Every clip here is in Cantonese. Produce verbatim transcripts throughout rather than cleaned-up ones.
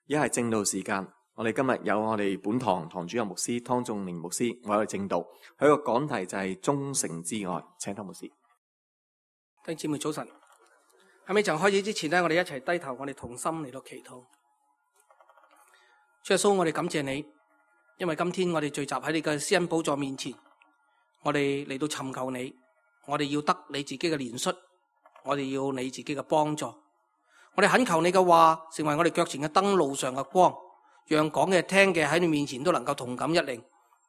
而家係正道時間，我哋今日有我哋本堂堂主任牧師湯仲明牧師，我哋正道，佢個講題就係忠誠之愛，請湯牧師。弟兄姊妹早晨，喺未曾開始之前呢，我哋一齊低頭，我哋同心嚟到祈禱。主耶穌，我哋感謝你，因為今天我哋聚集喺你嘅施恩寶座面前，我哋嚟到尋求你，我哋要得你自己嘅憐恤，我哋要你自己嘅幫助。我哋懇求你嘅話成為我哋腳前嘅燈，路上嘅光，讓講嘅聽嘅喺你面前都能夠同感一靈，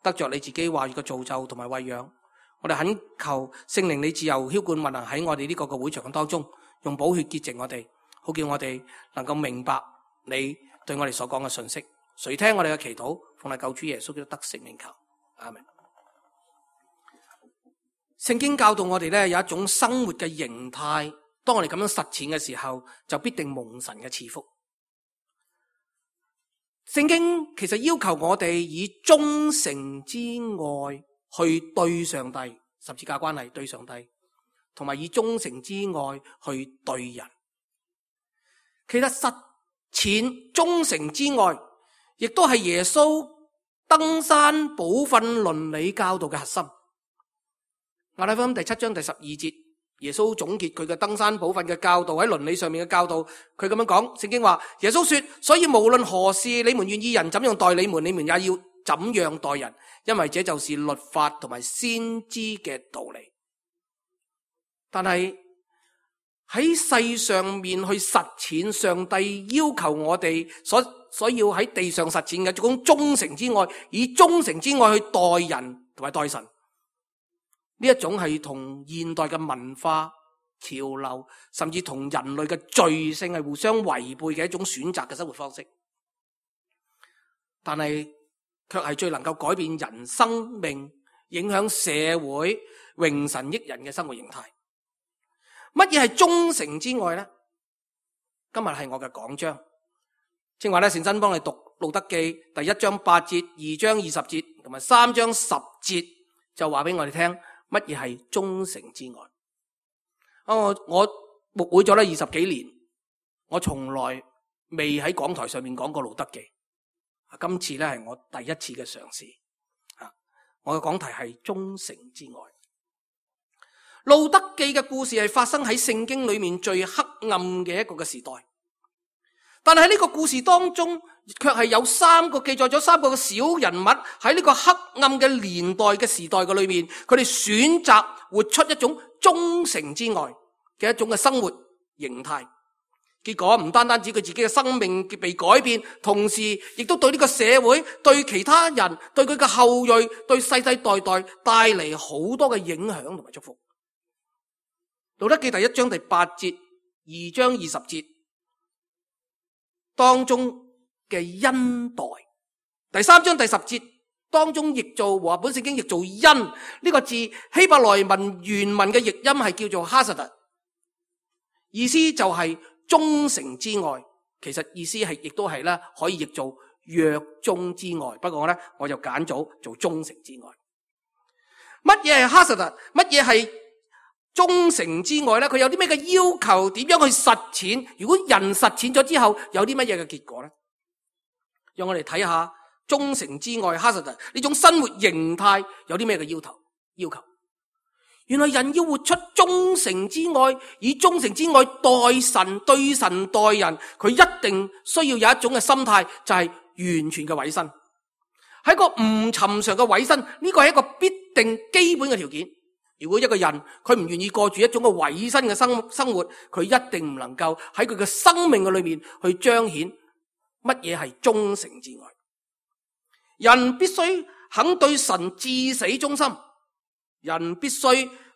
得着你自己話語嘅造就同埋餵養。我哋懇求聖靈你自由澆灌運行喺我哋呢個嘅會場當中，用寶血潔淨我哋，好叫我哋能夠明白你對我哋所講嘅信息。垂聽我哋嘅祈禱，奉你救主耶穌基督得聖名求，阿們。聖經教導我哋咧有一種生活嘅形態，當我哋咁樣實踐嘅時候，就必定蒙神嘅賜福。聖經其實要求我哋以忠誠之愛去對上帝，十字架關係對上帝，同埋以忠誠之愛去對人。其實實踐忠誠之愛，亦都係耶穌登山寶訓倫理教導嘅核心。馬太福音第七章第十二節，耶穌總結佢嘅登山寶訓嘅教導，喺倫理上面嘅教導，佢咁樣講，聖經話耶穌說，所以無論何事你們願意人怎樣待你們，你們也要怎樣待人，因為這就是律法同埋先知嘅道理。但係喺世上面去實踐上帝要求我哋所所要喺地上實踐嘅這種忠誠之愛，以忠誠之愛去待人同埋待神，呢一種係同現代嘅文化潮流，甚至同人類嘅罪性係互相違背嘅一種選擇嘅生活方式，但係卻係最能夠改變人生命、影響社會、榮神益人嘅生活形態。乜嘢係忠誠之愛呢？今日係我嘅講章，正話咧，善真幫你讀路德記第一章八節、二章二十節同埋三章十節，就話俾我哋聽乜嘢係忠誠之愛。我我牧會咗咧二十幾年，我從來未喺講台上面講過路德記，今次咧係我第一次嘅嘗試。我嘅講題係忠誠之愛。路德記嘅故事係發生喺聖經裏面最黑暗嘅一個嘅時代，但係喺呢個故事當中，卻係有三個記載咗三個嘅小人物喺呢個黑暗嘅年代嘅時代嘅裏面，佢哋選擇活出一種忠誠之愛嘅一種嘅生活形態。結果唔單單止佢自己嘅生命被改變，同時亦都對呢個社會、對其他人、對佢嘅後裔、對世世代代帶嚟好多嘅影響同埋祝福。路德記第一章第八節、二章二十節當中嘅恩待，第三章第十節當中譯做和合本聖經譯做恩，呢、這個字希伯來文原文嘅譯音係叫做哈薩特，意思就係忠誠之愛，其實意思係亦都係咧可以譯做約忠之愛，不過咧我就揀咗做忠誠之愛。乜嘢係哈薩特？乜嘢係忠誠之愛咧？佢有啲咩嘅要求？點樣去實踐？如果人實踐咗之後，有啲乜嘢嘅結果咧？讓我哋睇下忠誠之愛哈薩特呢種生活形態有啲咩嘅要求？要求原來人要活出忠誠之愛，以忠誠之愛待神、對神待人，佢一定需要有一種嘅心態，就係完全嘅委身。喺個唔尋常嘅委身，呢個係一個必定基本嘅條件。如果一個人佢唔願意過住一種嘅委身嘅生生活，佢一定唔能夠喺佢嘅生命嘅裏面去彰顯乜嘢係忠誠之愛。人必須肯對神至死忠心，人必須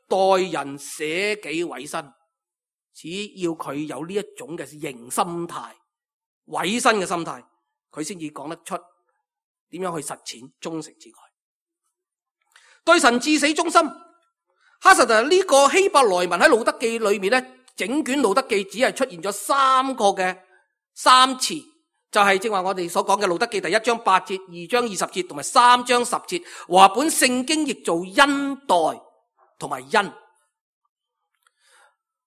待人捨己委身。只要佢有呢一種嘅型心態、委身嘅心態，佢先至講得出點樣去實踐忠誠之愛。對神至死忠心。哈薩特呢個希伯來文喺路德記裏面咧，整卷路德記只係出現咗三個嘅三次，就係正話我哋所講嘅路德記第一章八節、二章二十節同埋三章十節，和合本聖經譯做恩待同埋恩。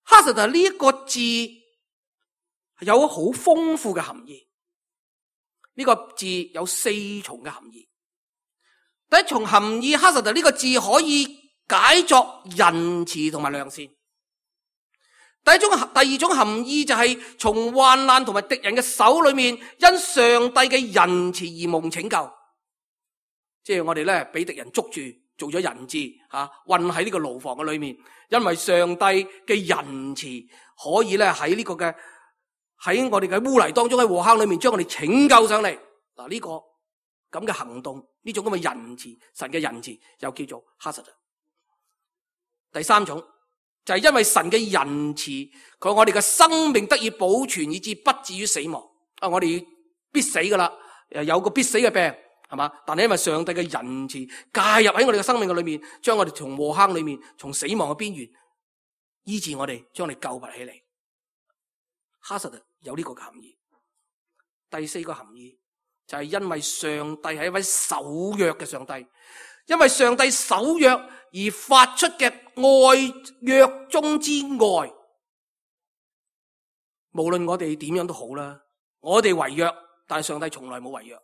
哈薩特呢一個字有好豐富嘅含義，呢個字有四重嘅含義。第一重含義，哈薩特呢個字可以解作仁慈同埋良善。第一種，第二種含義就係從患難同埋敵人嘅手裏面，因上帝嘅仁慈而蒙拯救。即係我哋咧俾敵人捉住，做咗人質吓，困喺呢個牢房嘅裏面。因為上帝嘅仁慈，可以咧喺呢個嘅喺我哋嘅污泥當中，喺禍坑裏面將我哋拯救上嚟。嗱，呢個咁嘅行動，呢種咁嘅仁慈，神嘅仁慈又叫做哈薩特。第三種就係因為神嘅仁慈，佢我哋嘅生命得以保存，以致不至於死亡。啊，我哋必死噶啦，有個必死嘅病，係嘛？但係因為上帝嘅仁慈介入喺我哋嘅生命嘅裏面，將我哋從禍坑裏面，從死亡嘅邊緣醫治我哋，將我哋救拔起嚟。哈薩特有呢個含義。第四個含義就係因為上帝係一位守約嘅上帝，因為上帝守約而發出嘅愛，約中之愛。無論我哋點樣都好啦，我哋違約，但係上帝從來冇違約。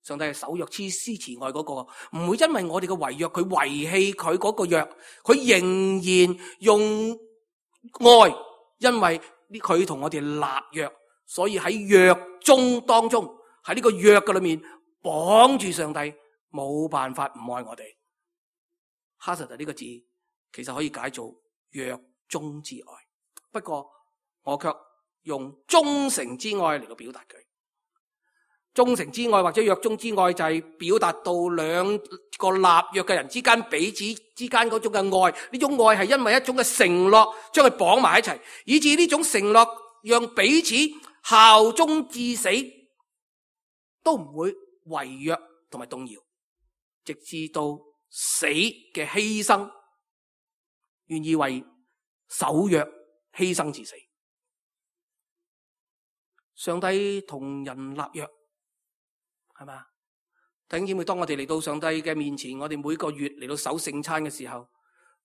上帝係守約、施施慈愛嗰個，唔會因為我哋嘅違約，佢遺棄佢嗰個約，佢仍然用愛，因為佢同我哋立約，所以喺約中當中，喺呢個約嘅裏面綁住上帝，冇辦法唔愛我哋。哈薩特呢個字其實可以解做約中之愛，不過我卻用忠誠之愛嚟到表達佢。忠誠之愛或者約中之愛就係表達到兩個立約嘅人之間彼此之間嗰種嘅愛，呢種愛係因為一種嘅承諾將佢綁埋一齊，以致呢種承諾讓彼此效忠至死，都唔會違約同埋動搖，直至到死嘅犧牲，願意為守約犧牲至死。上帝同人立約，係嘛？弟兄姊妹，當我哋嚟到上帝嘅面前，我哋每個月嚟到守聖餐嘅時候，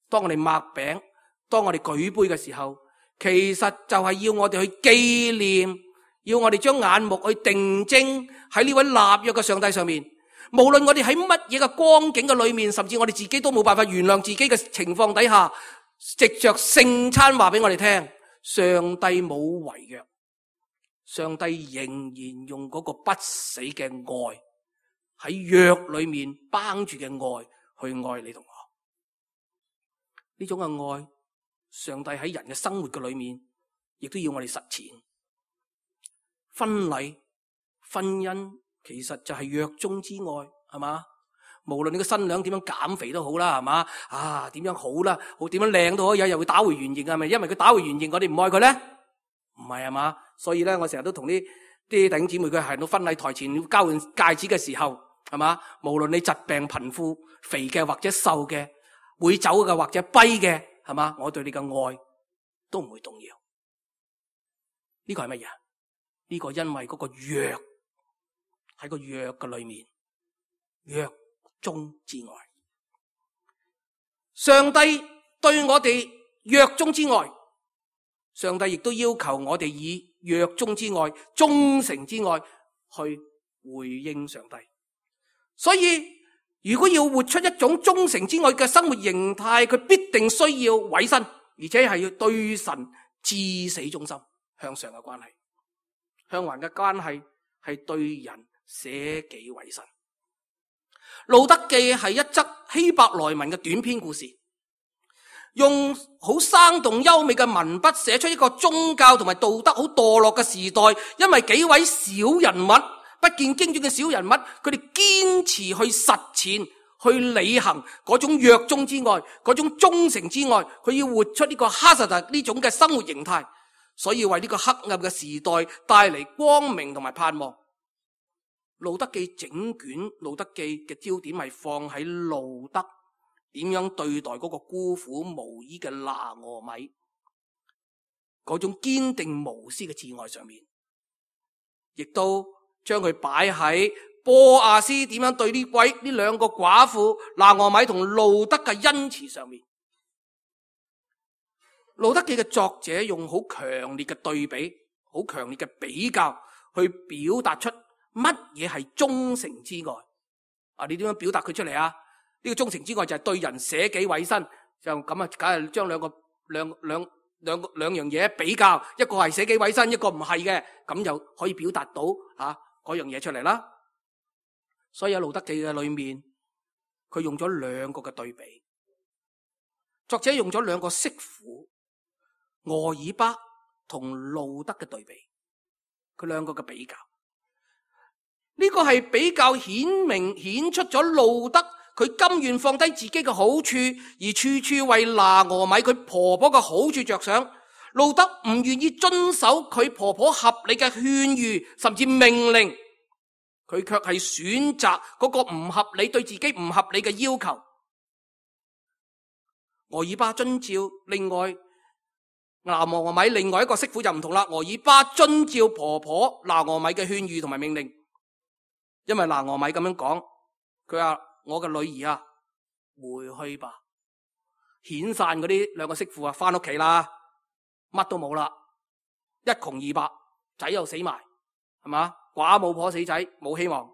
當我哋擘餅，當我哋舉杯嘅時候，其實就係要我哋去紀念，要我哋將眼目去定睛喺呢位立約嘅上帝上面。無論我哋喺乜嘢嘅光景嘅裏面，甚至我哋自己都冇辦法原諒自己嘅情況底下，藉着聖餐話俾我哋聽，上帝冇違約。上帝仍然用嗰個不死嘅愛，喺約裏面綁住嘅愛去愛你同我。呢種嘅愛，上帝喺人嘅生活嘅裏面亦都要我哋實踐。婚禮、婚姻其實就係約中之愛，係嘛？無論你個新娘點樣減肥都好啦，係嘛？啊，點樣好啦，好點樣靚都可以，又會打回原形，係咪？因為佢打回原形，我哋唔愛佢咧？唔係，係嘛？所以咧，我成日都同啲啲弟兄姊妹，佢行到婚禮台前要交換戒指嘅時候，係嘛？無論你疾病貧富、肥嘅或者瘦嘅，會走嘅或者跛嘅，係嘛？我對你嘅愛都唔會動搖。呢個係乜嘢？呢個因為嗰個約喺個約嘅裏面，約中之愛。上帝對我哋約中之愛。上帝亦都要求我哋以約中之愛、忠誠之愛去回應上帝。所以如果要活出一種忠誠之愛嘅生活形態，佢必定需要委身，而且係要對神至死忠心。向上嘅關係，向橫嘅關係係對人捨己為身。路德記係一則希伯來文嘅短篇故事，用好生動優美嘅文筆寫出一個宗教同埋道德好墮落嘅時代，因為幾位小人物，不見經傳嘅小人物，佢哋堅持去實踐、去履行嗰種約中之愛、嗰種忠誠之愛，佢要活出呢個哈薩特呢種嘅生活形態，所以為呢個黑暗嘅時代帶嚟光明同埋盼望。路德記整卷路德記嘅焦點係放喺路德點樣對待嗰個孤苦無依嘅拿俄米，嗰種堅定無私嘅摯愛上面，亦都將佢擺喺波亞斯點樣對呢位呢兩個寡婦拿俄米同路德嘅恩慈上面。路德記嘅作者用好強烈嘅對比、好強烈嘅比較去表達出乜嘢係忠誠之愛？啊，你點樣表達佢出嚟啊？呢個忠誠之愛就係對人捨己委身，就咁啊，梗係將兩個兩兩兩個兩樣嘢比較，一個係捨己委身，一個唔係嘅，咁就可以表達到啊嗰樣嘢出嚟啦。所以喺路德記嘅裏面，佢用咗兩個嘅對比，作者用咗兩個媳婦俄珥巴同路德嘅對比，佢兩個嘅比較。呢個係比較顯明顯出咗路德佢甘願放低自己嘅好處，而處處為拿俄米佢婆婆嘅好處着想。路德唔願意遵守佢婆婆合理嘅勸喻甚至命令，佢卻係選擇嗰個唔合理對自己唔合理嘅要求。俄珥巴遵照，另外拿俄米另外一個媳婦就唔同啦。俄珥巴遵照婆婆拿俄米嘅勸喻同埋命令。因為拿俄米咁樣講，佢話我嘅女兒啊，回去吧。遣散嗰啲兩個媳婦啊，翻屋企啦，乜都冇啦，一窮二白，仔又死埋，係嘛？寡母婆死仔，冇希望。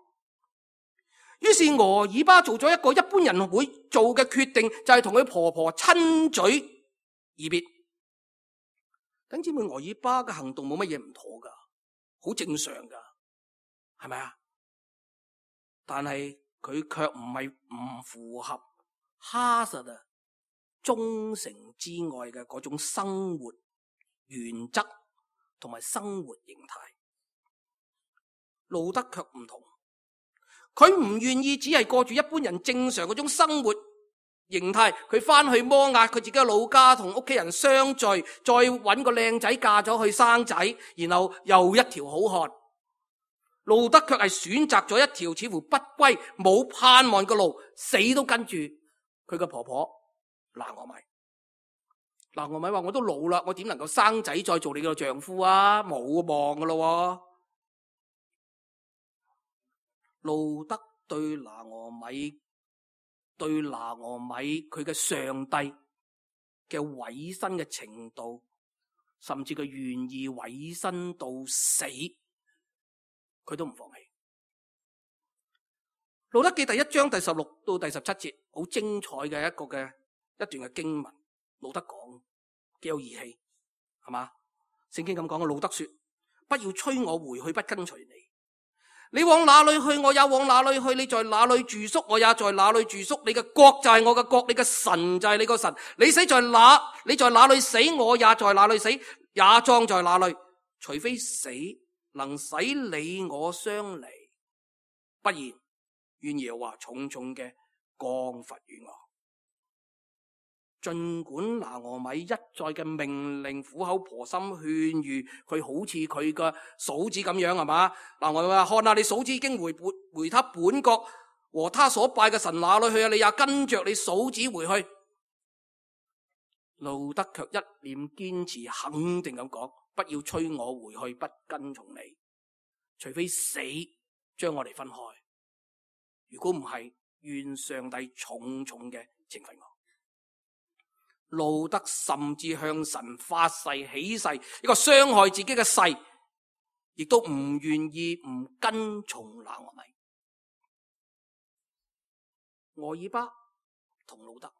於是俄珥巴做咗一個一般人會做嘅決定，就係同佢婆婆親嘴而別。弟兄姊妹，俄珥巴嘅行動冇乜嘢唔妥噶，好正常噶，係咪啊？但係佢卻唔係唔符合哈實啊忠誠之愛嘅嗰種生活原則同埋生活形態。路德卻唔同，佢唔願意只係過住一般人正常嗰種生活形態。佢翻去摩押佢自己嘅老家，同屋企人相聚，再搵個靚仔嫁咗去生仔，然後又一條好漢。路德卻係選擇咗一條似乎不歸冇盼望嘅路，死都跟住佢嘅婆婆拿俄米。拿俄米話：我都老啦，我點能夠生仔再做你嘅丈夫啊？冇望噶咯。路德對拿俄米對拿俄米佢嘅上帝嘅委身嘅程度，甚至佢願意委身到死，佢都唔放棄。路德記第一章第十六到第十七節，好精彩嘅一個嘅一段嘅經文。路德講幾有義氣，係嘛？聖經咁講嘅，路德說：不要催我回去，不跟隨你。你往哪裏去，我也往哪裏去；你在哪裏住宿，我也在哪裏住宿。你嘅國就係我嘅國，你嘅神就係你個神。你死在哪，你在哪裏死，我也在哪裏死，也葬在哪裏。除非死能使你我相離，不然願耶和華重重嘅降罰於我。盡管拿俄米一再嘅命令，苦口婆心勸喻佢，好似佢嘅嫂子咁樣，係嘛？拿俄米話：看下你嫂子已經回回他本國和他所拜嘅神哪裏去啊？你也跟着你嫂子回去。路德卻一臉堅持，肯定咁講：不要催我回去，不跟從你，除非死將我哋分開。如果唔係，願上帝重重嘅懲罰我。路德甚至向神發誓起誓，一個傷害自己嘅誓，亦都唔願意唔跟從拿俄米。俄珥巴同路德，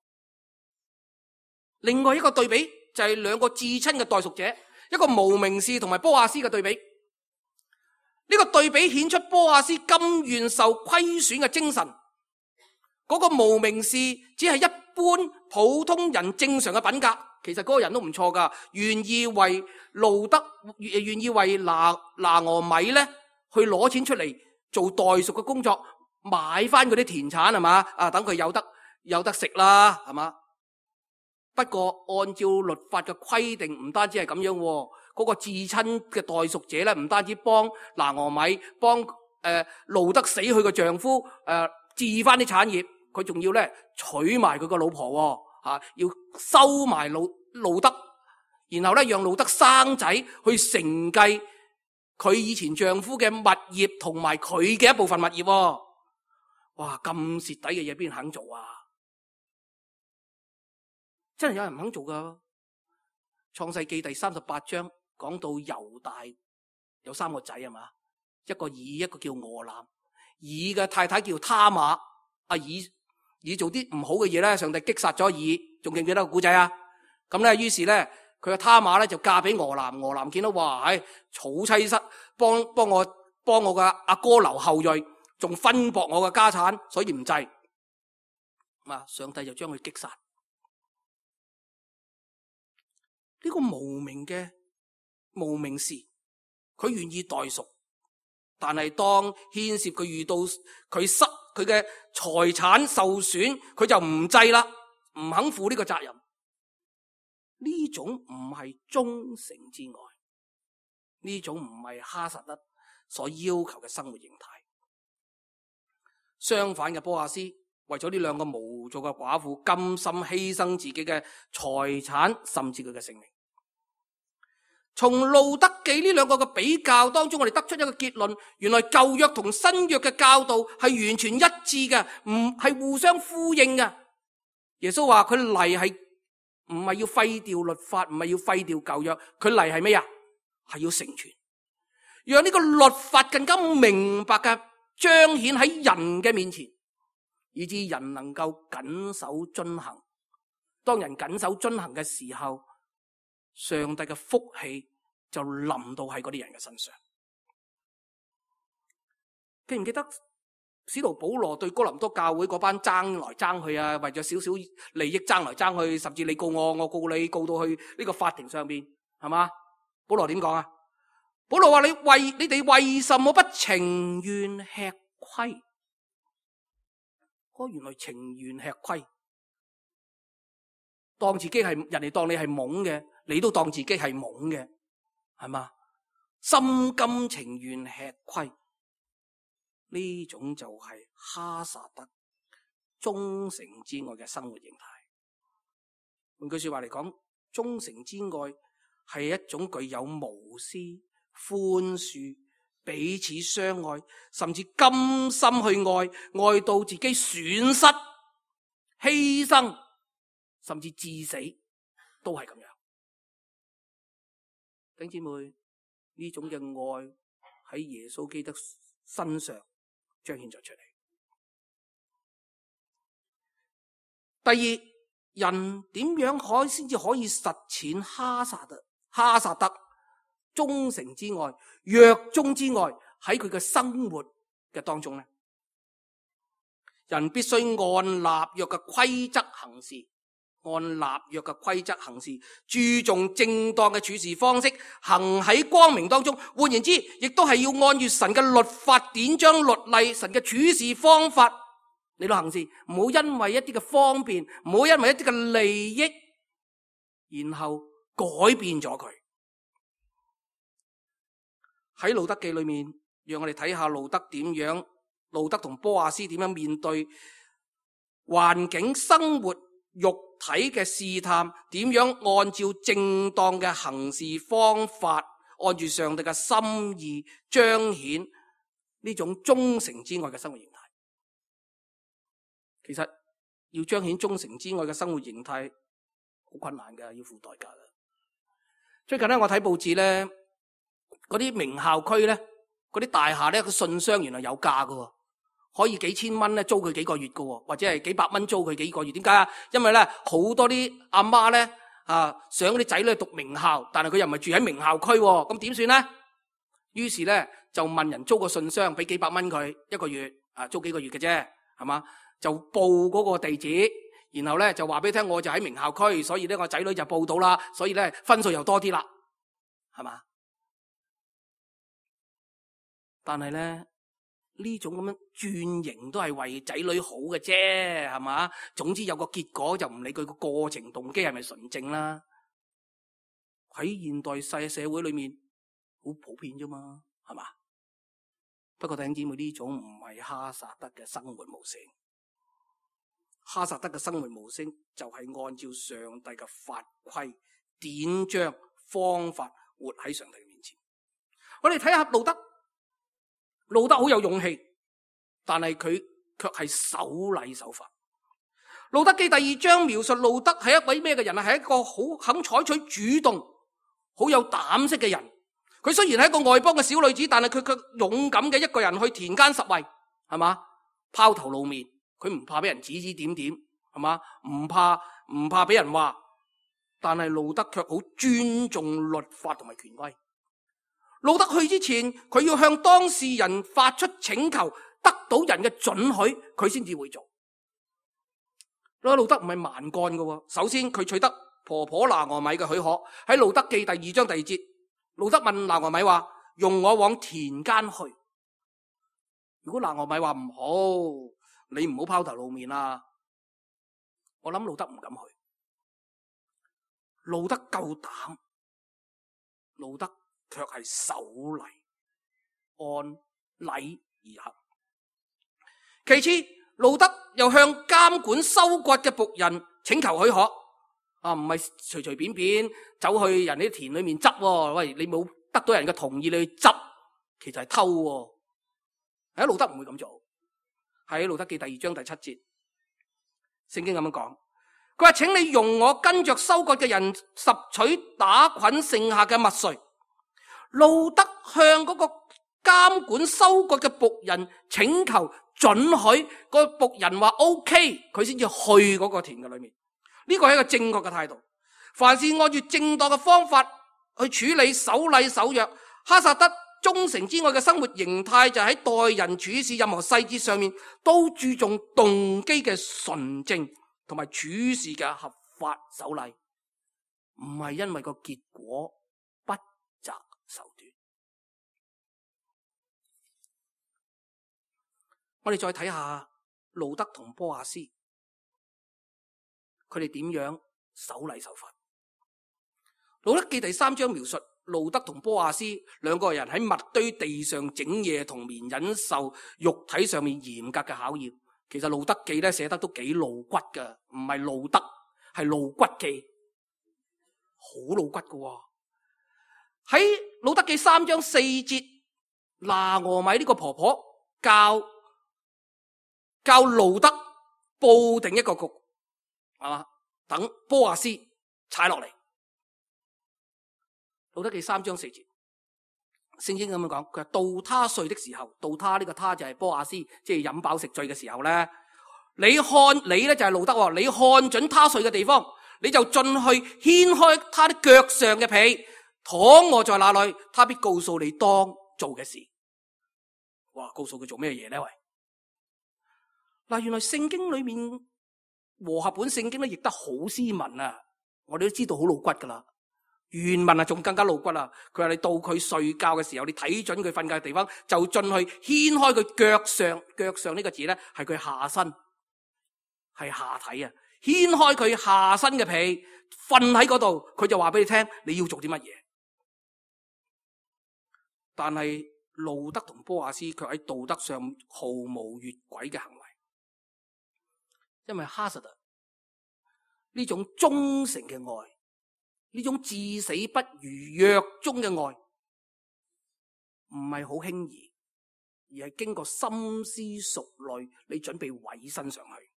另外一個對比就係兩個至親嘅代贖者，一個無名氏同埋波亞斯嘅對比。呢個對比顯出波亞斯甘願受虧損嘅精神。嗰個無名氏只係一般普通人正常嘅品格，其實嗰個人都唔錯噶，願意為路德，願意為拿拿俄米咧去攞錢出嚟做代贖嘅工作，買翻嗰啲田產，係嘛？啊，等佢有得有得食啦，係嘛？不過按照律法嘅規定，唔單止係咁樣，嗰、那個至親嘅代贖者咧，唔單止幫拿俄米，幫誒、呃、路德死去嘅丈夫誒置翻啲產業。佢仲要咧娶埋佢個老婆，吓、啊、要收埋路路德，然後咧讓路德生仔去承繼佢以前丈夫嘅物業同埋佢嘅一部分物業。哇，咁蝕底嘅嘢邊人肯做啊？真係有人唔肯做噶。創世記第三十八章講到猶大有三個仔，係嘛？一個以，一個叫俄南。以嘅太太叫他瑪，阿以以做啲唔好嘅嘢咧，上帝擊殺咗以，仲記唔記得個古仔啊？咁咧，於是咧，佢嘅他瑪咧就嫁俾俄南。俄南見到哇，唉，娶妻室，幫幫我幫我嘅阿哥留後裔，仲分薄我嘅家產，所以唔制。啊，上帝就將佢擊殺。呢個無名嘅無名氏，佢願意代贖，但係當牽涉佢遇到佢失佢嘅財產受損，佢就唔制啦，唔肯負呢個責任。呢種唔係忠誠之愛，呢種唔係哈撒德所要求嘅生活形態。相反嘅，波阿斯為咗呢兩個無助嘅寡婦，甘心犧牲自己嘅財產，甚至佢嘅性命。從路德記呢兩個嘅比較當中，我哋得出一個結論：原來舊約同新約嘅教導係完全一致嘅，唔係互相呼應嘅。耶穌話佢嚟係唔係要廢掉律法，唔係要廢掉舊約，佢嚟係咩啊？係要成全，讓呢個律法更加明白嘅彰顯喺人嘅面前，以致人能夠謹守遵行。當人謹守遵行嘅時候，上帝嘅福氣就臨到喺嗰啲人嘅身上。記唔記得使徒保羅對哥林多教會嗰班爭來爭去啊，為咗少少利益爭來爭去，甚至你告我，我告你，告到去呢個法庭上邊，係嘛？保羅點講啊？保羅話：你為你哋為什麼不情願吃虧？哦，原來情願吃虧，當自己係人哋當你係懵嘅，你都當自己係懵嘅，係嘛？心甘情願吃虧，呢種就係哈撒德忠誠之愛嘅生活形態。換句說話嚟講，忠誠之愛係一種具有無私、寬恕、彼此相愛，甚至甘心去愛，愛到自己損失、犧牲，甚至致死，都係咁樣。弟兄姊妹，呢種嘅愛喺耶穌基督身上彰顯咗出嚟。第二，人點樣可先至可以實踐哈撒德哈撒德忠誠之愛、約中之愛喺佢嘅生活嘅當中呢？人必須按立約嘅規則行事，按立約嘅規則行事，注重正當嘅處事方式，行喺光明當中。換言之，亦都係要按住神嘅律法典章律例、神嘅處事方法嚟到行事，唔好因為一啲嘅方便，唔好因為一啲嘅利益，然後改變咗佢。喺路德記裏面，讓我哋睇下路德點樣，路德同波阿斯點樣面對環境、生活、肉體嘅試探，點樣按照正當嘅行事方法，按住上帝嘅心意彰顯呢種忠誠之愛嘅生活形態。其實要彰顯忠誠之愛嘅生活形態好困難㗎，要付代價㗎。最近咧，我睇報紙咧，嗰啲名校區咧，嗰啲大廈咧，個信箱原來有價㗎，可以幾千蚊咧租佢幾個月㗎，或者係幾百蚊租佢幾個月。點解啊？因為咧好多啲阿媽咧啊，想啲仔女讀名校，但係佢又唔係住喺名校區，咁點算咧？於是咧就問人租個信箱，俾幾百蚊佢一個月，啊租幾個月嘅啫，係嘛？就報嗰個地址，然後咧就話俾你聽，我就喺名校區，所以咧我仔女就報到啦，所以咧分數又多啲啦，係嘛？但係咧呢種咁樣轉型都係為仔女好嘅啫，係嘛？總之有個結果，就唔理佢個過程動機係咪純正啦。喺現代世社會裏面好普遍啫嘛，係嘛？不過弟兄姊妹，呢種唔係哈撒德嘅生活模式。哈撒德嘅生活模式就係按照上帝嘅法規、典章、方法活喺上帝嘅面前。我哋睇下路德。路德好有勇氣，但係佢卻係守禮守法。路德記第二章描述路德係一位咩嘅人啊？係一個好肯採取主動、好有膽識嘅人。佢雖然係一個外邦嘅小女子，但係佢卻勇敢嘅一個人去田間拾遺，係嘛？拋頭露面，佢唔怕俾人指指點點，係嘛？唔怕唔怕俾人話，但係路德卻好尊重律法同埋權威。路德去之前，佢要向當事人發出請求，得到人嘅准許，佢先至會做。路德唔係蠻幹嘅，首先佢取得婆婆拿俄米嘅許可，喺路德記第二章第二節，路德問拿俄米話：用我往田間去。如果拿俄米話唔好，你唔好拋頭露面啦，我諗路德唔敢去。路德夠膽，路德卻係守禮，按禮而行。其次，路德又向監管收割嘅僕人請求許可，啊，唔係隨隨便便走去人哋啲田裏面執，喂，你冇得到人嘅同意你去執，其實係偷。喺路德唔會咁做。喺路德記第二章第七節，聖經咁樣講，佢話：請你容我跟着收割嘅人拾取打捆剩下嘅麥穗。路德向嗰個監管收割嘅僕人請求准許，個僕人話 OK， 佢先至去嗰個田嘅裏面。呢個係一個正確嘅態度。凡是按照正當嘅方法去處理守禮守約，哈薩德忠誠之外嘅生活形態就喺待人處事任何細節上面都注重動機嘅純正同埋處事嘅合法守禮，唔係因為個結果不擇手段。我哋再睇下路德同波阿斯，佢哋點樣守禮守法。路德記第三章描述路德同波阿斯兩個人喺麥堆地上整夜同眠，忍受肉體上面嚴格嘅考驗。其實路德記咧寫得都幾露骨噶，唔係路德，係露骨記，好露骨噶喎。喺路德記三章四節，拿俄米呢個婆婆教教路德布定一個局，係嘛？等波阿斯踩落嚟。路德記三章四節，聖經咁樣講，佢話到他睡的時候，到他呢個他就係波阿斯，即係飲飽食醉嘅時候咧，你看你咧就係路德，你看準他睡嘅地方，你就進去掀開他的腳上嘅被，躺臥在那裏，他必告訴你當做嘅事。哇，告訴佢做咩嘢咧？喂，嗱，原來聖經裏面和合本聖經咧譯得好斯文啊，我哋都知道好露骨噶啦。原文啊，仲更加露骨啦！佢話你到佢睡覺嘅時候，你睇準佢瞓覺嘅地方，就進去掀開佢腳上，腳上呢個字咧係佢下身，係下體啊！掀開佢下身嘅被，瞓喺嗰度，佢就話俾你聽你要做啲乜嘢。但係路德同波阿斯卻喺道德上毫無越軌嘅行為，因為哈實特呢種忠誠嘅愛，呢種至死不渝約中嘅愛，唔係好輕易，而係經過深思熟慮，你準備委身上去。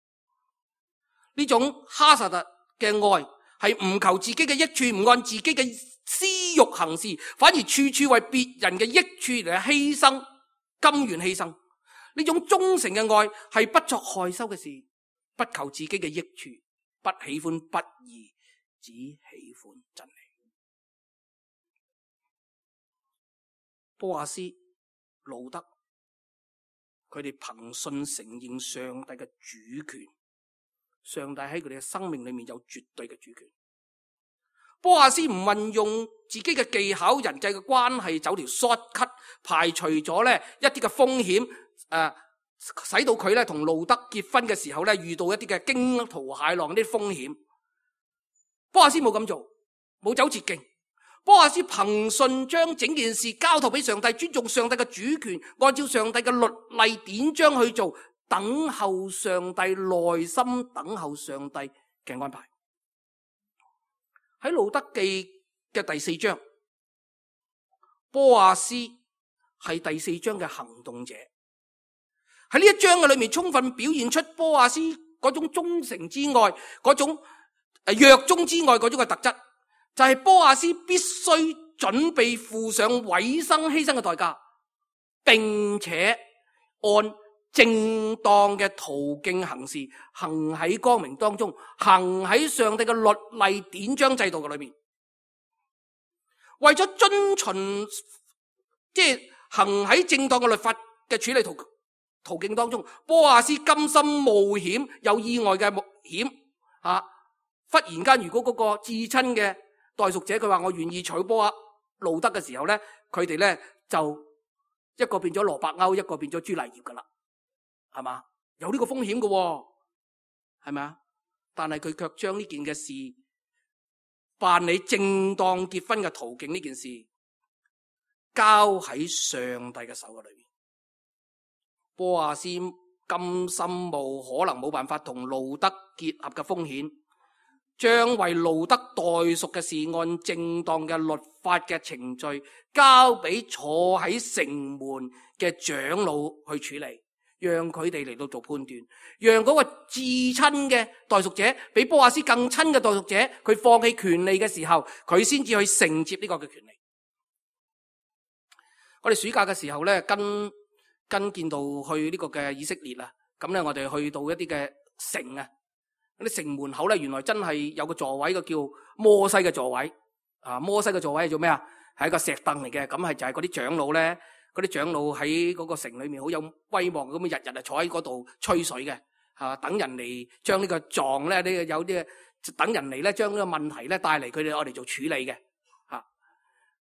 呢種哈薩特嘅愛係唔求自己嘅益處，唔按自己嘅私欲行事，反而處處為別人嘅益處嚟犧牲，甘願犧牲。呢種忠誠嘅愛係不作害羞嘅事，不求自己嘅益處，不喜歡不義，只喜歡真理。波阿斯、路德，佢哋憑信承認上帝嘅主權，上帝喺佢哋嘅生命裏面有絕對嘅主權。波阿斯唔運用自己嘅技巧、人際嘅關係走條 shortcut， 排除咗咧一啲嘅風險，誒、呃，使到佢咧同路德結婚嘅時候咧遇到一啲嘅驚濤駭浪啲風險。波阿斯冇咁做，冇走捷徑。波阿斯憑信將整件事交託俾上帝，尊重上帝嘅主權，按照上帝嘅律例典章去做，等候上帝，耐心等候上帝嘅安排。喺路德記嘅第四章，波阿斯係第四章嘅行動者。喺呢一章嘅裏面，充分表現出波阿斯嗰種忠誠之外，嗰種誒約中之外嗰種嘅特質，就係波阿斯必須準備付上委身犧牲嘅代價，並且按正當嘅途徑行事，行喺光明當中，行喺上帝嘅律例典章制度嘅裏面，為咗遵循即係行喺正當嘅律法嘅處理途途徑當中，波亞斯甘心冒險，有意外嘅冒險啊！忽然間，如果嗰個至親嘅代贖者佢話我願意娶波亞路德嘅時候咧，佢哋咧就一個變咗羅伯歐，一個變咗朱麗葉噶啦，係嘛？有呢個風險嘅，係咪啊？但係佢卻將呢件嘅事辦理正當結婚嘅途徑呢件事交喺上帝嘅手嘅裏面。波亞斯甘心冒可能冇辦法同路德結合嘅風險，將為路德代贖嘅事按正當嘅律法嘅程序交俾坐喺城門嘅長老去處理，讓佢哋嚟到做判斷，讓嗰個至親嘅代贖者比波亞斯更親嘅代贖者，佢放棄權利嘅時候，佢先至去承接呢個嘅權利。我哋暑假嘅時候咧，跟跟見到去呢個嘅以色列啊，咁咧我哋去到一啲嘅城啊，嗰啲城門口咧，原來真係有個座位，個叫摩西嘅座位啊。摩西嘅座位係做咩啊？係一個石凳嚟嘅，咁係就係嗰啲長老咧，嗰啲長老喺嗰個城裏面好有威望，咁日日啊坐喺嗰度吹水嘅，啊等人嚟將呢個狀咧，呢個有啲等人嚟咧將呢個問題咧帶嚟佢哋我哋做處理嘅。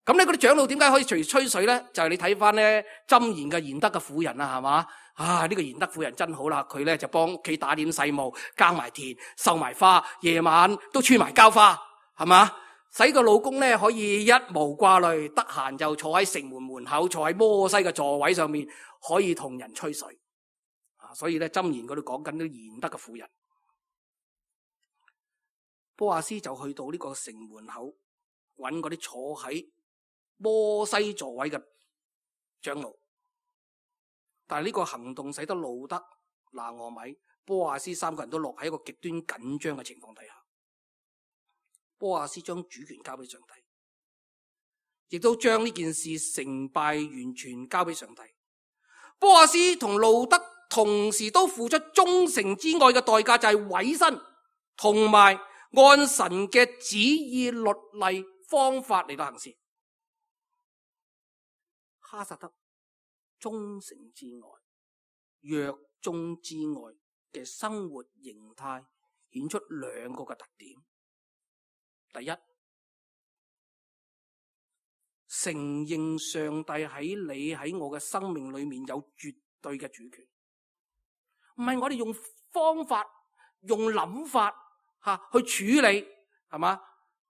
咁咧嗰啲長老點解可以隨吹水咧？就係、是、你睇翻咧箴言嘅賢德嘅婦人啊，係嘛？啊呢、這個賢德婦人真好啦，佢咧就幫屋企打點細務，耕埋田，繡埋花，夜晚都穿埋膠花，係嘛？使個老公咧可以一無掛慮，得閒就坐喺城門門口，坐喺摩西嘅座位上面，可以同人吹水。啊，所以咧箴言嗰度講緊啲賢德嘅婦人。波亞斯就去到呢個城門口，揾嗰啲坐喺摩西座位嘅長老，但係呢個行動使得路德、拿俄米、波亞斯三個人都落喺一個極端緊張嘅情況底下。波亞斯將主權交俾上帝，亦都將呢件事成敗完全交俾上帝。波亞斯同路德同時都付出忠誠之愛嘅代價，就係委身同埋按神嘅旨意、律例、方法嚟到行事。哈薩德忠誠之外、約忠之外嘅生活形態，顯出兩個嘅特點。第一，承認上帝喺你喺我嘅生命裏面有絕對嘅主權，唔係我哋用方法、用諗法吓去處理，係嘛？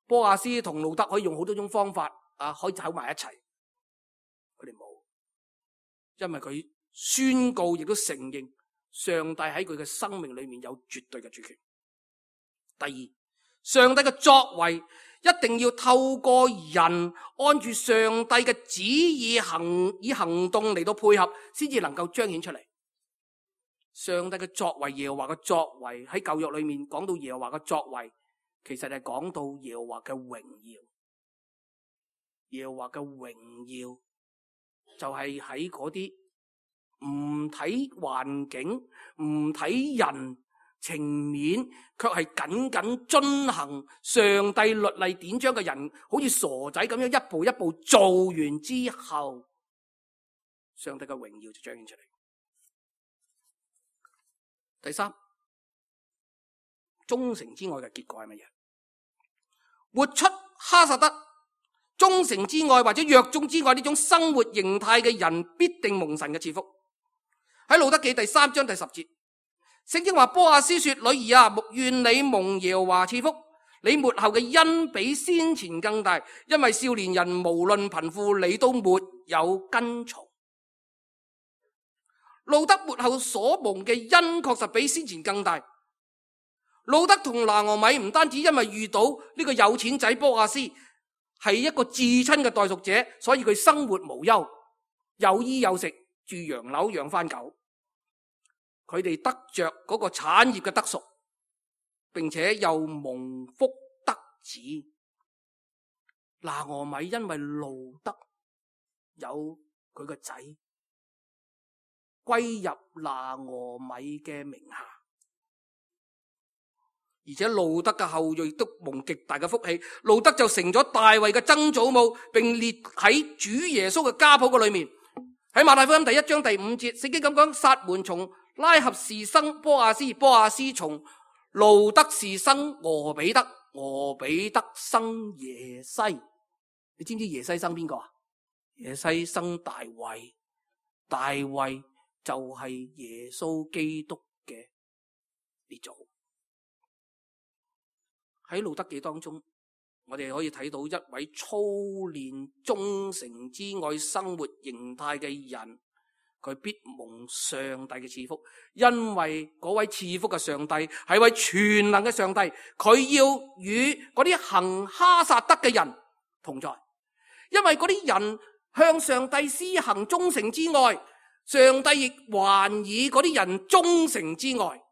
波亞斯同路德可以用好多種方法啊，可以走埋一齊。佢哋冇，因為佢宣告亦都承認上帝喺佢嘅生命裏面有絕對嘅主權。第二，上帝嘅作為一定要透過人按住上帝嘅旨意行，以行動嚟到配合，先至能夠彰顯出嚟。上帝嘅作為，耶和華嘅作為，喺舊約裏面講到耶和華嘅作為，其實係講到耶和華嘅榮耀。耶和華嘅榮耀就係喺嗰啲唔睇環境、唔睇人情面，卻係緊緊遵行上帝律例典章嘅人，好似傻仔咁樣一步一步做完之後，上帝嘅榮耀就彰顯出嚟。第三，忠誠之愛嘅結果係乜嘢？活出哈薩德忠誠之愛或者約忠之愛呢種生活形態嘅人，必定蒙神嘅賜福。喺路德記第三章第十節，聖經話波亞斯說：女兒啊，願你蒙耶和華賜福，你末後嘅恩比先前更大，因為少年人無論貧富，你都沒有跟從。路德末後所蒙嘅恩確實比先前更大。路德同拿俄米唔單止因為遇到呢個有錢仔波亞斯係一個至親嘅代贖者，所以佢生活無憂，有衣有食，住洋樓養番狗。佢哋得着嗰個產業嘅得贖，並且又蒙福得子。拿俄米因為路得有佢個仔歸入拿俄米嘅名下，而且路德嘅後裔都蒙極大嘅福氣，路德就成咗大衛嘅曾祖母，並列喺主耶穌嘅家譜嘅裏面。喺馬太福音第一章第五節，聖經咁講：撒門從拉合氏生波亞斯，波亞斯從路德氏生俄比德，俄比德生耶西。你知唔知耶西生邊個啊？耶西生大衛，大衛就係耶穌基督嘅列祖。喺路德記當中，我哋可以睇到一位操練忠誠之愛生活形態嘅人，佢必蒙上帝嘅賜福，因為嗰位賜福嘅上帝係位全能嘅上帝，佢要與嗰啲行哈撒德嘅人同在，因為嗰啲人向上帝施行忠誠之愛，上帝亦還以嗰啲人忠誠之愛。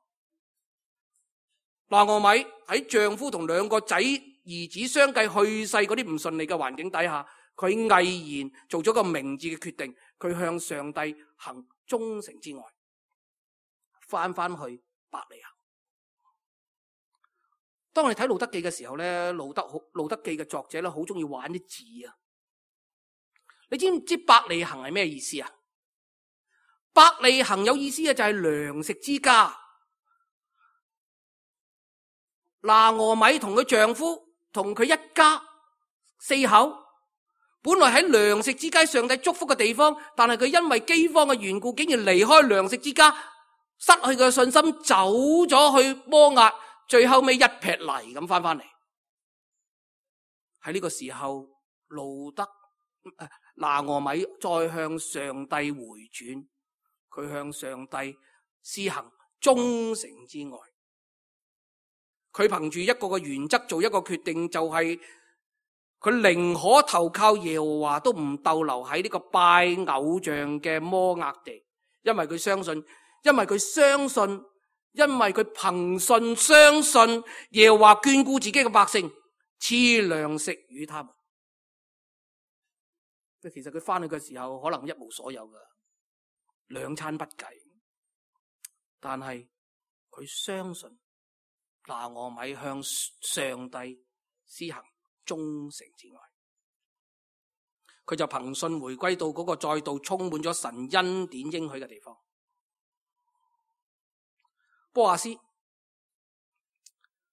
拿俄米喺丈夫同兩個仔兒子相繼去世嗰啲唔順利嘅環境底下，佢毅然做咗個明智嘅決定，佢向上帝行忠誠之愛，翻翻去伯利恆。當我哋睇路德記嘅時候咧，路德路德記嘅作者咧好中意玩啲字啊！你知唔知伯利恆係咩意思啊？伯利恆有意思嘅就係糧食之家。拿俄米同佢丈夫同佢一家四口，本來喺糧食之家上帝祝福嘅地方，但係佢因為饑荒嘅緣故，竟然離開糧食之家，失去佢嘅信心，走咗去摩押，最後尾一撇泥咁翻翻嚟。喺呢個時候，路德拿俄米再向上帝回轉，佢向上帝施行忠誠之愛。佢憑住一個嘅原則做一個決定，就係佢寧可投靠耶和華，都唔逗留喺呢個拜偶像嘅摩押地，因為佢相信，因為佢相信，因為佢憑信相信耶和華眷顧自己嘅百姓，賜糧食與他們。其實佢翻去嘅時候，可能一無所有噶，兩餐不計，但係佢相信。拿俄米向上帝施行忠誠之愛，佢就憑信回歸到嗰個再度充滿咗神恩典應許嘅地方。波亞斯，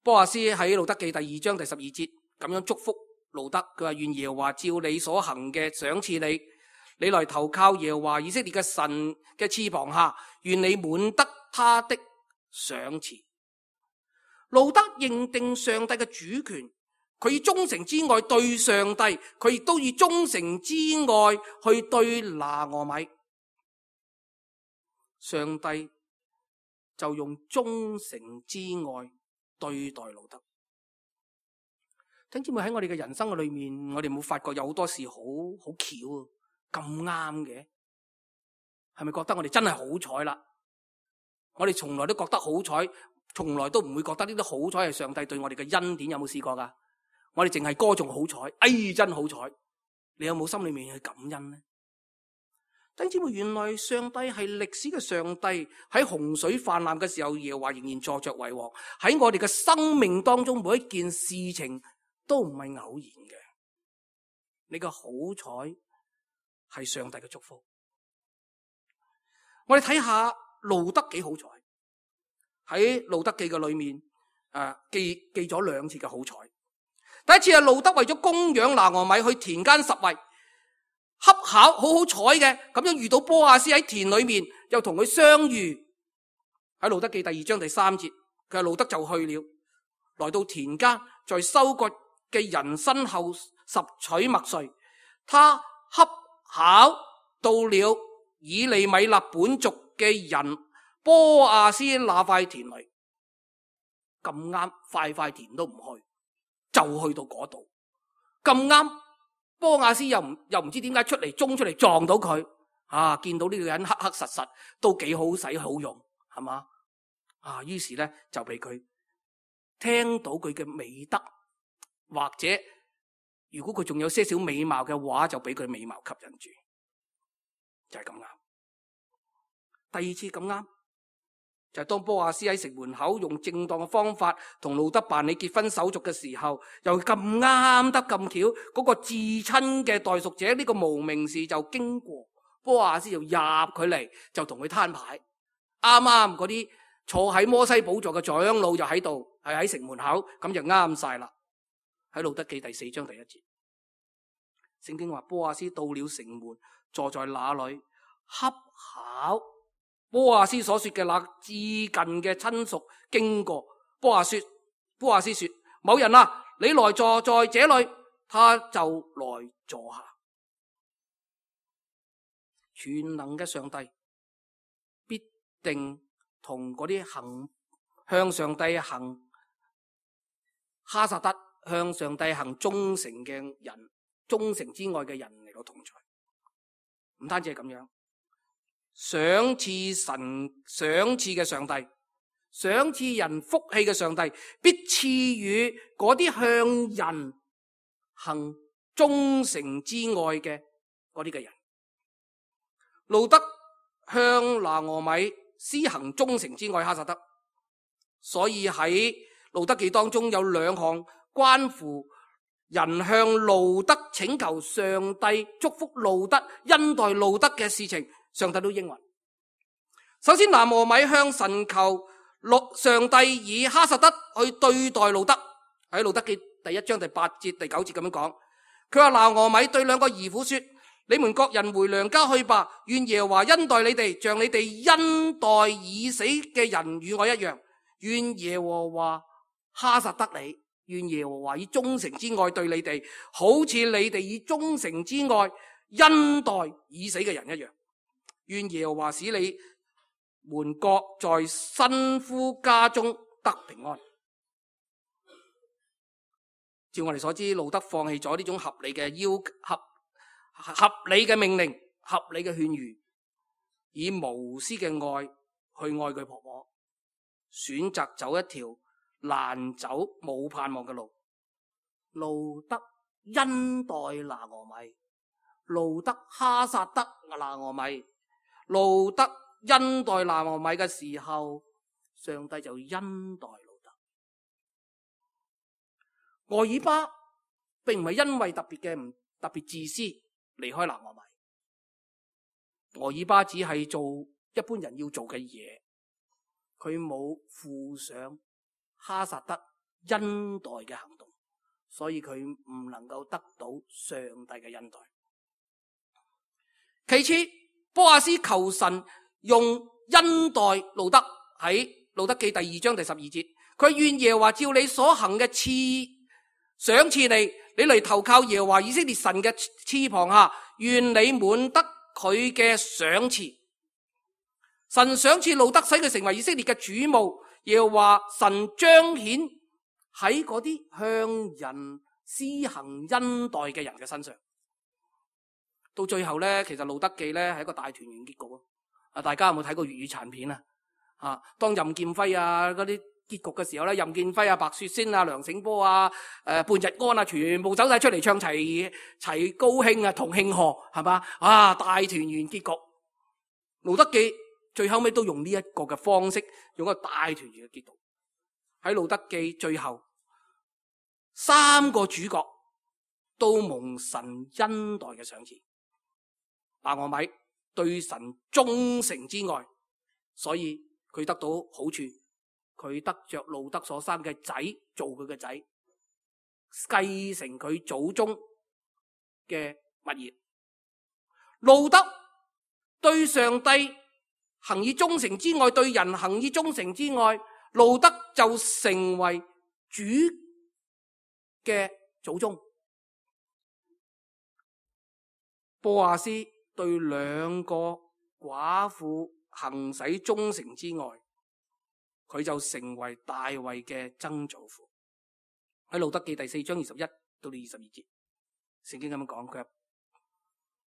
波亞斯喺路德記第二章第十二節咁樣祝福路德，佢話：願耶和華照你所行嘅賞賜你，你來投靠耶和華以色列嘅神嘅翅膀下，願你滿得他的賞賜。路德認定上帝嘅主權，佢以忠誠之愛對上帝，佢亦都以忠誠之愛去對拿俄米。上帝就用忠誠之愛對待路德。弟兄姊妹，喺我哋嘅人生嘅裏面，我哋冇發覺有好多事好好巧啊，咁啱嘅，係咪覺得我哋真係好彩啦？我哋從來都覺得好彩。從來都唔會覺得呢啲好彩係上帝對我哋嘅恩典，有冇試過噶？我哋淨係歌頌好彩，哎真好彩！你有冇心裏面去感恩呢？弟兄姊妹，原來上帝係歷史嘅上帝，喺洪水泛濫嘅時候，耶和華仍然坐着為王。喺我哋嘅生命當中，每一件事情都唔係偶然嘅。你嘅好彩係上帝嘅祝福。我哋睇下路德幾好彩。喺路德記嘅裏面，啊記記咗兩次嘅好彩。第一次係路德為咗供養拿俄米去田間拾遺，恰巧好好彩嘅咁樣遇到波亞斯喺田裏面，又同佢相遇。喺路德記第二章第三節，佢話路德就去了，來到田間，在收割嘅人身後拾取麥穗。他恰巧到了以利米勒本族嘅人波亞斯那塊田裏，咁啱塊塊田都唔去，就去到嗰度。咁啱波亞斯又唔又唔知點解出嚟衝出嚟撞到佢，啊！見到呢個人黑黑實實，都幾好使好用，係嘛？啊！於是咧就俾佢聽到佢嘅美德，或者如果佢仲有些少美貌嘅話，就俾佢美貌吸引住，就係咁啱。第二次咁啱，就係當波亞斯喺城門口用正當嘅方法同路德辦理結婚手續嘅時候，又咁啱得咁巧，嗰個至親嘅代贖者呢個無名氏就經過，波亞斯就入佢嚟，就同佢攤牌。啱啱嗰啲坐喺摩西寶座嘅長老就喺度，係喺城門口，咁就啱晒啦。喺路德記第四章第一節，聖經話波亞斯到了城門，坐在那裏，恰巧波亞斯所說嘅那至近嘅親屬經過，波亞斯波亞斯說：某人啊，你來坐在這裏，他就來坐下。全能嘅上帝必定同嗰啲行向上帝行哈薩德向上帝行忠誠嘅人，忠誠之愛嘅人嚟到同在。唔單止係咁樣，賞賜神賞賜嘅上帝，賞賜人福氣嘅上帝，必賜予嗰啲向人行忠誠之愛嘅嗰啲嘅人。路德向拿俄米施行忠誠之愛哈薩德，所以喺路德記當中有兩項關乎人向路德請求上帝祝福路德恩待路德嘅事情，上帝都應允。首先拿俄米向神求上帝以哈薩德去對待路德，喺路德記第一章第八節第九節咁樣講，佢話拿俄米對兩個兒婦說：你們各人回娘家去吧，願耶和華恩待你哋，像你哋恩待已死嘅人與我一樣。願耶和華哈薩德你，願耶和華以忠誠之愛對你哋，好似你哋以忠誠之愛恩待已死嘅人一樣。願耶和華使你們各在新夫家中得平安。照我哋所知，路德放棄咗呢種合理嘅要合合理嘅命令，合理嘅勸喻，以無私嘅愛去愛佢婆婆，選擇走一條難走冇盼望嘅路。路德恩待拿俄米，路德哈薩德拿俄米，路德恩待拿俄米嘅時候，上帝就恩待路德。俄珥巴並唔係因為特別嘅唔特別自私離開拿俄米，俄珥巴只係做一般人要做嘅嘢，佢冇負上哈薩德恩待嘅行動，所以佢唔能夠得到上帝嘅恩待。其次，波亞斯求神用恩待路德，喺路德記第二章第十二節，佢願耶和華照你所行嘅賜賞賜你，你嚟投靠耶和華以色列神嘅翅膀下，願你滿得佢嘅賞賜。神賞賜路德，使佢成為以色列嘅主牧，耶和華神彰顯喺嗰啲向人施行恩待嘅人嘅身上。到最後咧，其實路德記咧係一個大團圓結局啊！大家有冇睇過粵語殘片啊？啊，當任劍輝啊嗰啲結局嘅時候咧，任劍輝啊、白雪仙啊、梁醒波啊、誒、呃、半日安啊，全部走晒出嚟唱齊齊高興啊，同慶賀係嘛？啊，大團圓結局。路德記最後尾都用呢一個嘅方式，用一個大團圓嘅結局。喺路德記最後，三個主角都蒙神恩待嘅賞賜。拿俄米對神忠誠之愛，所以佢得到好處，佢得着路德所生嘅仔做佢嘅仔，繼承佢祖宗嘅物業。路德對上帝行以忠誠之愛，對人行以忠誠之愛，路德就成為主嘅祖宗。波亞斯對兩個寡婦行使忠誠之愛，佢就成為大衛嘅曾祖父。喺路德記第四章二十一到二十二節，聖經咁樣講，佢話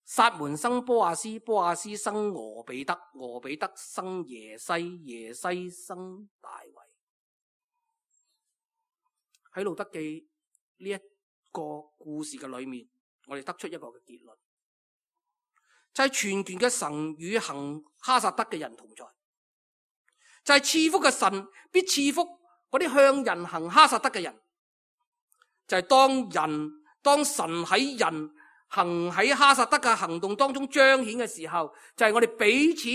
撒門生波亞斯，波亞斯生俄比德，俄比德生耶西，耶西生大衛。喺路德記呢一個故事嘅裏面，我哋得出一個嘅結論，就係全權嘅神與行哈薩德嘅人同在，就係賜福嘅神必賜福嗰啲向人行哈薩德嘅人，就係當人當神喺人行喺哈薩德嘅行動當中彰顯嘅時候，就係我哋彼此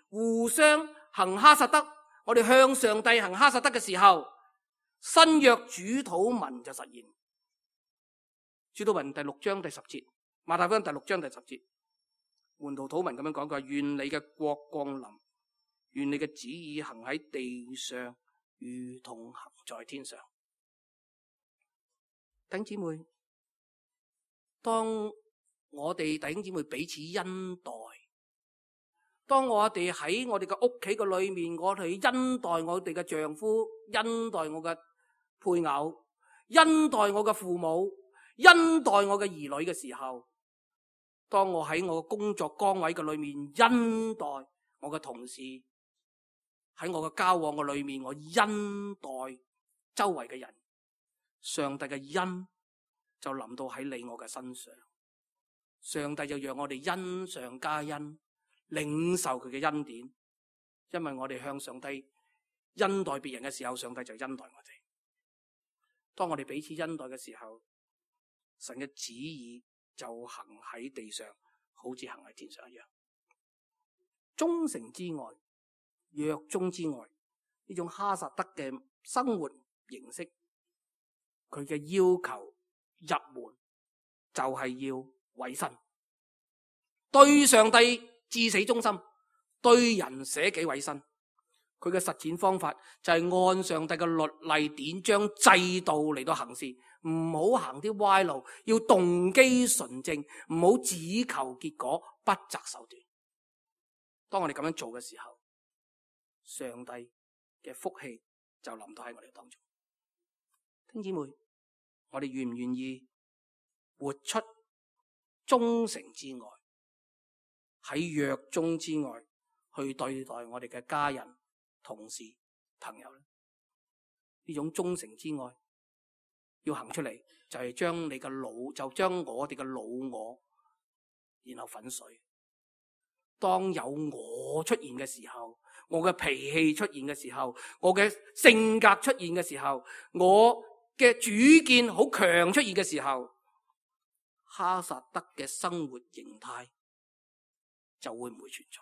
互相行哈薩德，我哋向上帝行哈薩德嘅時候，新約主禱文就實現。主禱文第六章第十節，馬太福音第六章第十節，門徒禱文咁樣講，佢話願你嘅國降臨，願你嘅旨意行喺地上，如同行在天上。弟兄姊妹，當我哋弟兄姊妹彼此恩待，當我哋喺我哋嘅屋企嘅裏面，我哋恩待我哋嘅丈夫，恩待我嘅配偶，恩待我嘅父母，恩待我嘅兒女嘅時候，當我喺我嘅工作崗位嘅裏面恩待我嘅同事，喺我嘅交往嘅裏面我恩待周圍嘅人，上帝嘅恩就臨到喺你我嘅身上，上帝就讓我哋恩上加恩，領受佢嘅恩典，因為我哋向上帝恩待別人嘅時候，上帝就恩待我哋。當我哋彼此恩待嘅時候，神嘅旨意就行喺地上，好似行喺天上一樣。忠誠之愛、約中之愛，呢種哈薩德嘅生活形式，佢嘅要求入門就係要委身，對上帝至死忠心，對人捨己委身。佢嘅實踐方法就係按上帝嘅律例典章制度嚟到行事，唔好行啲歪路，要動機純正，唔好只求結果，不擇手段。當我哋咁樣做嘅時候，上帝嘅福氣就臨到喺我哋當中。弟兄姊妹，我哋願唔願意活出忠誠之愛，喺約中之愛去對待我哋嘅家人、同事、朋友咧？呢種忠誠之愛要行出嚟，就係將你嘅老，就將我哋嘅老我，然後粉碎。當有我出現嘅時候，我嘅脾氣出現嘅時候，我嘅性格出現嘅時候，我嘅主見好強出現嘅時候，哈薩德嘅生活形態就會唔會存在。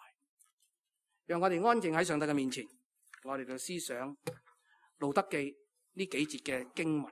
讓我哋安靜喺上帝嘅面前，我哋就思想路德記呢幾節嘅經文。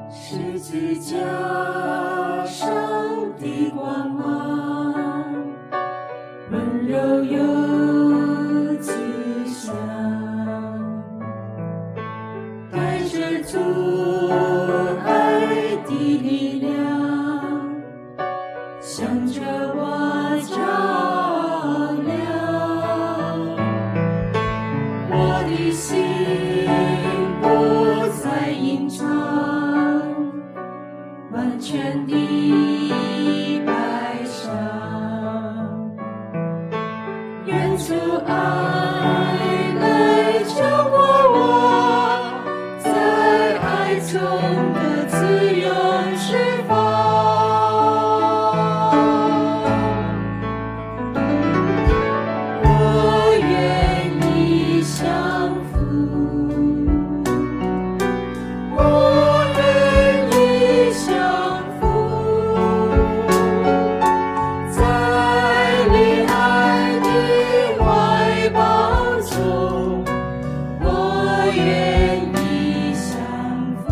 十字架上的光芒，温柔又吉祥，带着主爱的力量，向着我照亮，我的心不再隐藏，完全的摆上，愿主爱来浇灌我，在爱中的自由释放。我愿意降服，我愿意降服，在你爱的怀抱中，我愿意降服。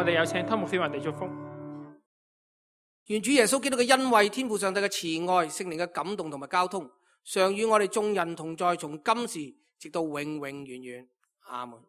我哋有請湯牧師為我哋祝福。願主耶穌基督嘅恩惠、天父上帝嘅慈愛、聖靈嘅感動同埋交通，常與我哋眾人同在，從今時直到永永遠遠。阿門。